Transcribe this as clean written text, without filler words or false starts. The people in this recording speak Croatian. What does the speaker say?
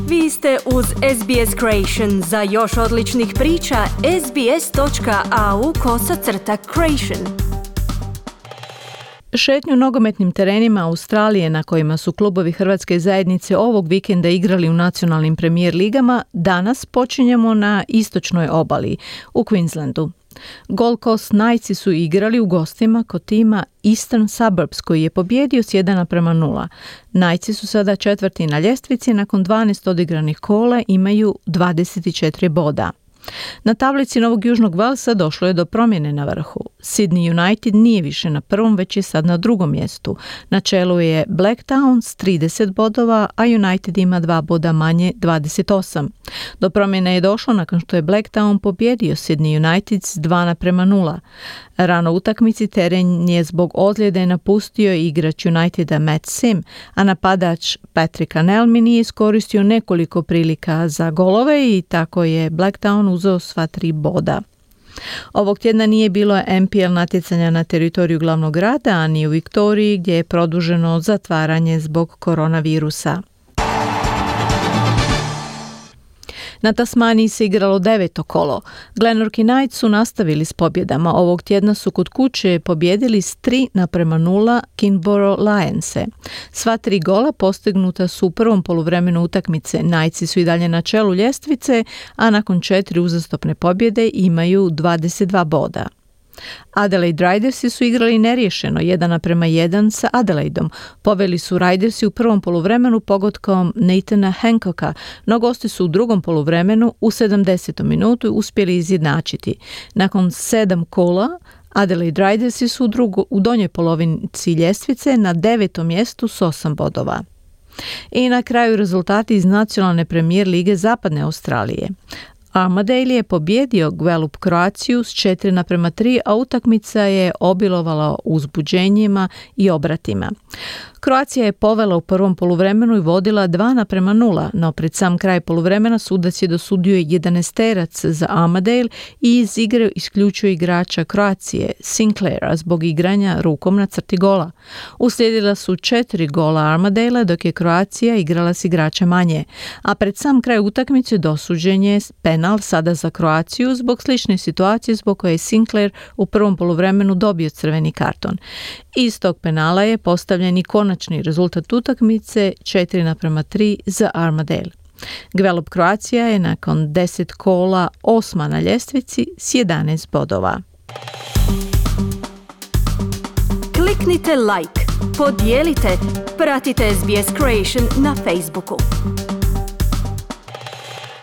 Vi ste uz SBS Creation. Za još odličnih priča, sbs.au/creation. Šetnju nogometnim terenima Australije na kojima su klubovi hrvatske zajednice ovog vikenda igrali u nacionalnim premijer ligama, danas počinjemo na istočnoj obali, u Queenslandu. Gold Coast Knightsi su igrali u gostima kod tima Eastern Suburbs koji je pobijedio s 1:0. Knightsi su sada četvrti na ljestvici, nakon 12 odigranih kola imaju 24 boda. Na tablici Novog Južnog Walesa došlo je do promjene na vrhu. Sydney United nije više na prvom, već je sad na drugom mjestu. Na čelu je Blacktown s 30 bodova, a United ima 2 boda manje, 28. Do promjene je došlo nakon što je Blacktown pobjedio Sydney United s 2:0. Rano u utakmici teren je zbog ozljede napustio igrač Uniteda Matt Sim, a napadač Patrick Anelmi nije iskoristio nekoliko prilika za golove i tako je Blacktown uzeo sva 3 boda. Ovog tjedna nije bilo NPL natjecanja na teritoriju glavnog grada, a ni u Viktoriji gdje je produženo zatvaranje zbog koronavirusa. Na Tasmaniji se igralo 9. kolo. Glenorchy Knights su nastavili s pobjedama. Ovog tjedna su kod kuće pobjedili s 3:0 Kingborough Lionse. Sva 3 gola postignuta su u prvom poluvremenu utakmice. Knightsi su i dalje na čelu ljestvice, a nakon 4 uzastopne pobjede imaju 22 boda. Adelaide Ridersi su igrali neriješeno 1:1 sa Adelaideom. Poveli su Ridersi u prvom poluvremenu pogodkom Nathana Hancocka, no gosti su u drugom poluvremenu u 70. minutu uspjeli izjednačiti. Nakon 7 kola Adelaide Ridersi su u donjoj polovici ljestvice na 9. mjestu s 8 bodova. I na kraju rezultati iz nacionalne premijer lige Zapadne Australije. Armadale je pobjedio Gwelup Croaciju s 4:3, a utakmica je obilovala uzbuđenjima i obratima. Croacija je povela u prvom poluvremenu i vodila 2:0, no pred sam kraj poluvremena sudac je dosudio 11-terac za Armadale i iz igre isključio igrača Croacije, Sinclaira, zbog igranja rukom na crti gola. Uslijedila su 4 gola Armadale, dok je Croacija igrala s igrača manje, a pred sam kraj utakmice dosuđen je penal sada za Croaciju zbog slične situacije zbog koje je Sinclair u prvom poluvremenu dobio crveni karton. Iz tog penala je postavljen i konačni rezultat utakmice 4:3 za Armadale. Gwelup Croacija je nakon 10 kola 8. na ljestvici s 11 bodova. Kliknite like, podijelite, pratite SBS Creation na Facebooku.